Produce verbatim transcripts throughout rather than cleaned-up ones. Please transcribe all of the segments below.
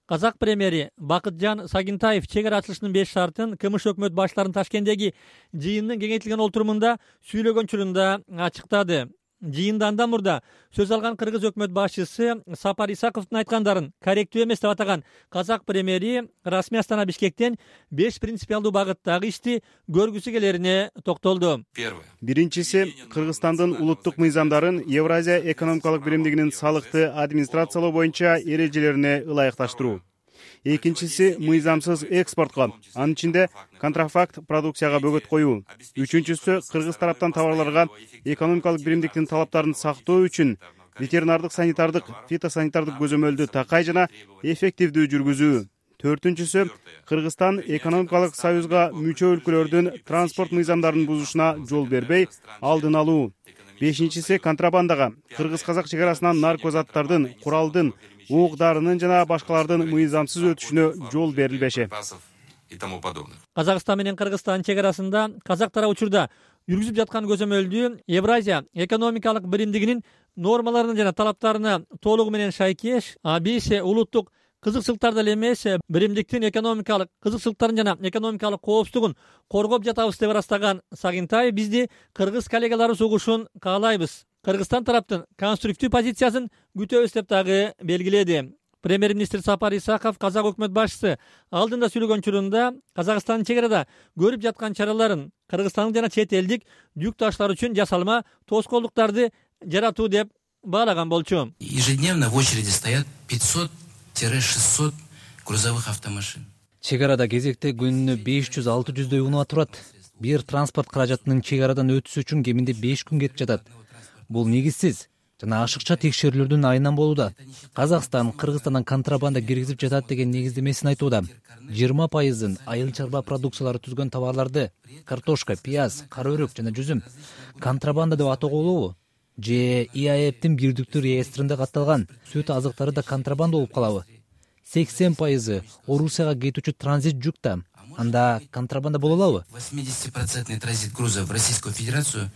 Казак премьери Бакытжан Сагинтаев чек ара ачылышынын беш шартын КМШ өкмөт баштарынын Ташкенттеги жыйынынын кеңейтилген отурумунда сүйлөгөн учурунда ачыктады. Жыйында андан мурда сөз алган кыргыз өкмөт башчысы Сапар Исаковдун айткандарын корректүү эмес деп атаган казак премьери расмий Астана Бишкектен беш принципиалдуу багыттагы ишти көргүсү келерине токтолду. Биринчиси, Кыргызстандын улуттук мыйзамдарын Евразия экономикалык биримдигинин салыкты администрациялоо боюнча эрежелерине ылайыкташтыруу. Экинчиси, мыйзамсыз экспортко, анын ичинде контрафакт продукцияга бөгөт коюу. Үчүнчүсү, кыргыз тараптан товарларга экономикалык биримдиктин талаптарын сактоо үчүн ветеринардык, санитардык, фитосанитардык көзөмөлдү такай жана эффективдүү жүргүзүү. Төртүнчүсү, Кыргызстан экономикалык союзга мүчө өлкөлөрдүн транспорт мыйзамдарын бузушуна жол бербей, алдын алуу. Бешинчиси, контрабандага, кыргыз-казак чек арасынан наркозаттардын, куралдын, уук-дарынын жана башкалардын мыйзамсыз өтүшүнө жол берилбеши. Казакстан менен Кыргызстан чек арасында казак тарап учурда жүргүзүп жаткан көзөмөлдүү Евразия экономикалык биримдигинин нормаларына жана талаптарына толугу менен шайкеш, биз улуттук кызыкчылыктар деле эмес, биримдиктин экономикалык кызыкчылыктарын жана экономикалык коопсуздугун коргоп жатабыз деп ырастаган Сагинтаев бизди кыргыз коллегаларыбыз угушун каалайбыз. Кыргызстан тараптын конструктив позициясын күтөбүз деп дагы белгиледи. Премьер-министр Сапар Исаков казак өкмөт башчысы алдында сүйлөгөн учурунда Казакстандын чек арада көрүп жаткан чараларын кыргызстандык жана чет элдик жүк таштар үчүн жасалма тоскоолдуктарды жаратуу деп баалаган болчу. Ежедневно в очереди стоят пятьсот шестьсот грузовых автомашин. Чек арада кезекте күнүнө беш жүз алты жүздөй унаа турат. Бир транспорт каражатынын чек арадан өтүшү үчүн кеминде беш күн кетип жатат. Бул негизсиз жана ашыкча текшерүүлөрдүн айынан болууда. Казакстан Кыргызстандан контрабанда киргизип жатат деген негиздемесин айтууда. жыйырма пайызын айыл чарба продукциялары түзгөн товарларды картошка, пияз, кара өрүк жана жүзүм контрабанда деп атоого болобу? Же И А Эптин бирдиктүү реестринде катталган сүт азыктары да контрабанда болуп калабы? сексен пайызы Орусияга кетүүчү транзит жүк да. Анда контрабанда боло алабы? восемьдесят процентов транзит грузов в Российскую Федерацию.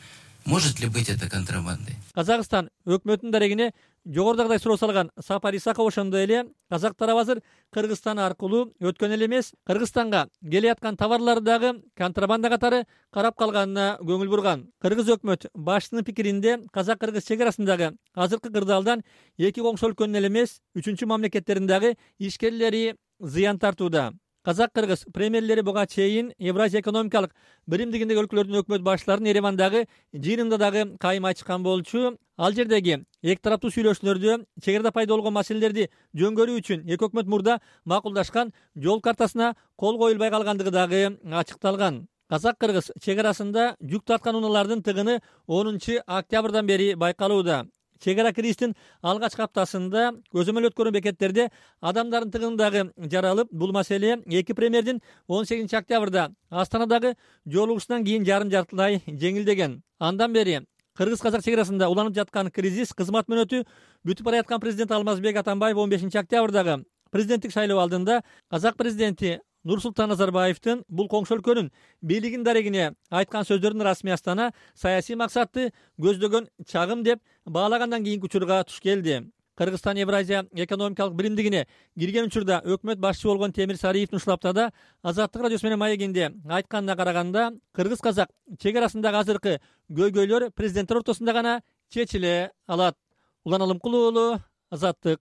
Может ли быть это контрабандой? Казакстан өкмөтүнүн дарегине жогорудагыдай суроо салган Сапар Исаков ошондой эле казак тарап азыр Кыргызстан аркылуу өткөн эле эмес, Кыргызстанга келе жаткан товарларды дагы контрабанда катары карап калганына көңүл бурган. Кыргыз өкмөт башчысынын пикиринде казак-кыргыз чек арасындагы азыркы кырдаалдан эки коңшу өлкөнүн эле эмес, үчүнчү мамлекеттердин дагы ишкерлери зыян тартууда. Казак-кыргыз премьерлери буга чейин Евразия экономикалык биримдигиндеги өлкөлөрдүн өкмөт башчыларынын Еревандагы жыйынында дагы кайым ачкан болчу. Ал жердеги эки тараптуу сүйлөшүүлөрдө чек арада пайда болгон маселелерди жөнгөрүү үчүн эки өкмөт мурда макулдашкан жол картасына кол коюлбай калгандыгы дагы ачыкталган. Казак-кыргыз чек арасында жүк тарткан унаалардын тыгыны онунчу октябрдан бери байкалууда. Чек ара кирişтин алгачкы аптасында көзөмөл өткөрүн бекеттерде адамдардын тыгындагы жаралып, бул маселе эки премьердин он сегизинчи октябрда Астанадагы жолугушунан кийин жарым жартылай жеңилдеген. Андан бери кыргыз-казак чек арасында уланып жаткан кризис кызмат мөөнөтү бүтүп бараткан президент Алмазбек Атамбаев он бешинчи октябрдагы президенттик шайлоо алдында казак президенти Нурсултан Назарбаевдин бул коңшу өлкөнүн бийлигин дарегине айткан сөздөрүн расмий Астана саясий максатты көздөгөн чагым деп баалагандан кийинки учурга туш келди. Кыргызстан Евразия экономикалык биримдигине кирген учурда өкмөт башчысы болгон Темир Сариевдин ушул аптада Азаттык радиосу менен маегинде айтканына караганда, кыргыз-казак чек арасындагы азыркы көйгөйлөр президенттер ортосунда гана чечиле алат. Улан Алымкулуу уулу, Азаттык.